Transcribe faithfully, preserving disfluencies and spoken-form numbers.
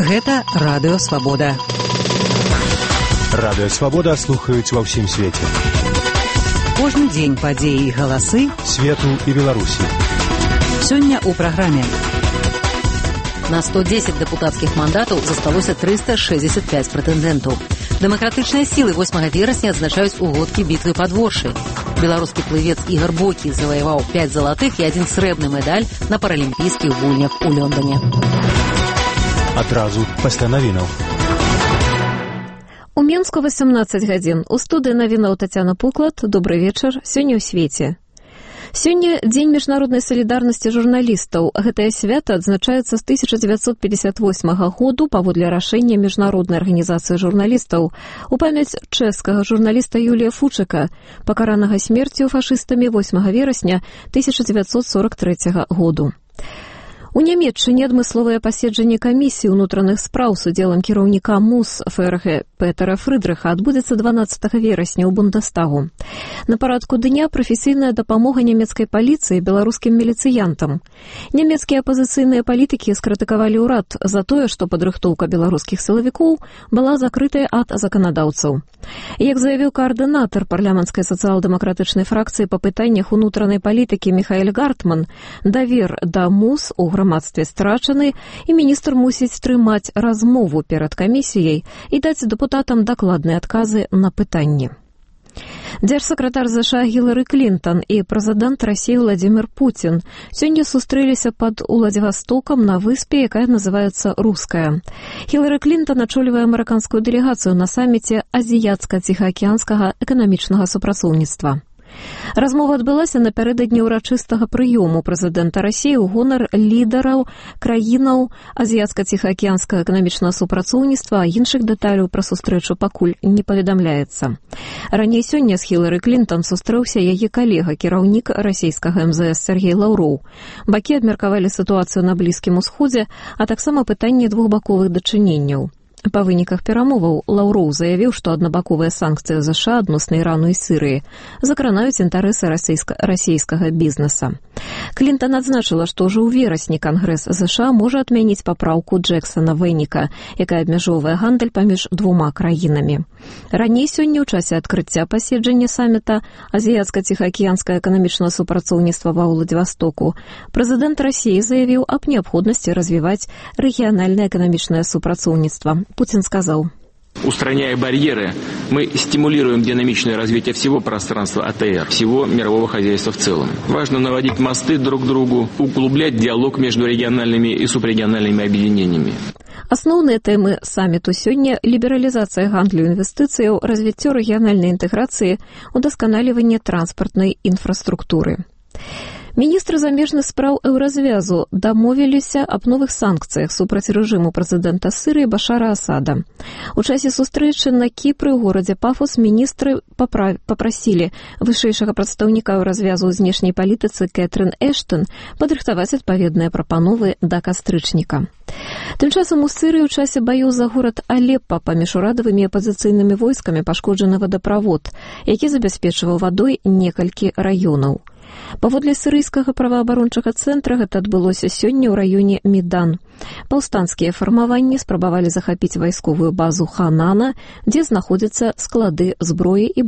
Гэта Радыё Свабода. Радыё Свабода слухаюць ва ўсім свеце. Кожны дзень падзеі і галасы свету і Беларусі. Сёння ў праграме. На сто дзесяць дэпутацкіх мандатаў засталося трыста шэсцьдзесят пяць прэтэндэнтаў. Дэмакратычныя сілы восьмага верасня адзначаюць угодкі бітвы пад Воршай. Беларускі плывец Ігар Бокі заваяваў пяць залатых і адзін срэбны медаль на паралімпійскіх гульнях у Лондоне. Адразу пасля навінаў. У Менску васямнаццаць гадзін. У студыі навінаў Тацяна Пуклад. Добры вечар. Сёння ў свеце. Сёння дзень міжнароднай салідарнасці журналістаў. Гэтае свята адзначаецца з тысяча дзевяцьсот пятьдесят восьмага году паводле рашэння міжнароднай арганізацыі журналістаў у памяць чэшскага журналіста Юлія Фучыка, пакаранага смерцю фашыстамі восьмага верасня тысяча дзевяцьсот сорок трэцяга году. У Нямецчыне адмысловае паседжанне камісіі ўнутраных спраў з удзелам кіраўніка МУС ФРГ Петера Фрыдрыха адбудзецца дванаццатага верасня ў Бундестагу. На парадку дня прафесійная дапамога нямецкай паліцыі беларускім міліцыянтам. Нямецкія апазіцыйныя палітыкі скрытыкавалі ўрад за тое, што падрыхтоўка беларускіх сілавікоў была закрытая ад заканадаўцаў. Як заявіў каардынатар парламенцкай сацыял-дэмакратычнай фракцыі па пытаннях унутранай палітыкі Міхаэль Гартман, давер да МУС у грамадстве страчаны, і міністр мусіць трымаць размову перад камісіяй і даць дэпутатам дакладныя адказы на пытанні. Дзяржсакратар ЗША Гілары Клінтон і прэзідэнт Расіі Владзімір Пуцін сёння сустрэліся пад Уладзівастокам на выспе, якая называецца Руская. Гілары Клінтон ачолівае амерыканскую дэлегацыю на саміце азіяцка-ціхаакіянскага эканамічнага супрацоўніцтва. Размова адбылася напярэдадні ўрачыстага прыёму прэзідэнта Расіі ў гонар лідараў краінаў азіяцка-ціхаакіянскага эканамічнага супрацоўніцтва, а іншых дэталяў пра сустрэчу пакуль не паведамляецца. Раней сёння з Хілары Клінтон сустрэўся яе калега, кіраўнік расійскага эм зэ эс Сергей Лаўроў. Бакі абмеркавалі сітуацыю на Блізкім Усходзе, а таксама пытанне двухбаковых дачыненняў. Па выніках перамоваў Лаўроў заявіў, што аднабаковыя санкцыі ЗША адносна Ірану і Сірыі закранаюць інтарэсы расійска- расійскага бізнеса. Клінтон адзначыла, што ўжо ў верасні Кангрэс ЗША можа адмяніць папраўку Джексана-Вэніка, якая абмяжоўвае гандаль паміж двума краінамі. Раней сёння ў часе адкрыцця паседжання саміта азіяцка-ціхаакіянскага эканамічнага супрацоўніцтва ва Ўладзівастоку прэзідэнт Расіі заявіў аб неабходнасці развіваць рэгіянальнае эканамічнае супрацоўніцтва. Путин сказал: устраняя барьеры, мы стимулируем динамичное развитие всего пространства А Т Р, всего мирового хозяйства в целом. Важно наводить мосты друг к другу, углублять диалог между региональными и субрегиональными объединениями. Асноўныя тэмы саміту сёння – лібералізацыя гандлю інвестыцыяў, развіццё рэгіянальнай інтэграцыі, удасканаліванне транспартнай інфраструктуры. Міністры замежных спраў Еўразвязу дамовіліся аб новых санкцыях супраць рэжыму прэзідэнта Сірыі Башара Асада. У часе сустрэчы на Кіпры ў горадзе Пафос міністры папрасілі вышэйшага прадстаўніка Еўразвязу ў знешняй палітыцы Кэтрын Эштон падрыхтаваць адпаведныя прапановы да кастрычніка. Тым часам у Сірыі ў часе баёў за горад Алеппа паміж урадавымі і апазіцыйнымі войскамі пашкоджаны вадаправод, які забяспечваў вадой некалькі раёнаў. Паводле сірыйскага праваабарончага цэнтра гэта адбылося сёння ў раёне Медан. Паўстанцкія фармаванні спрабавалі захапіць вайсковую базу Ханана, дзе знаходзяцца склады зброі і боепрыпасаў.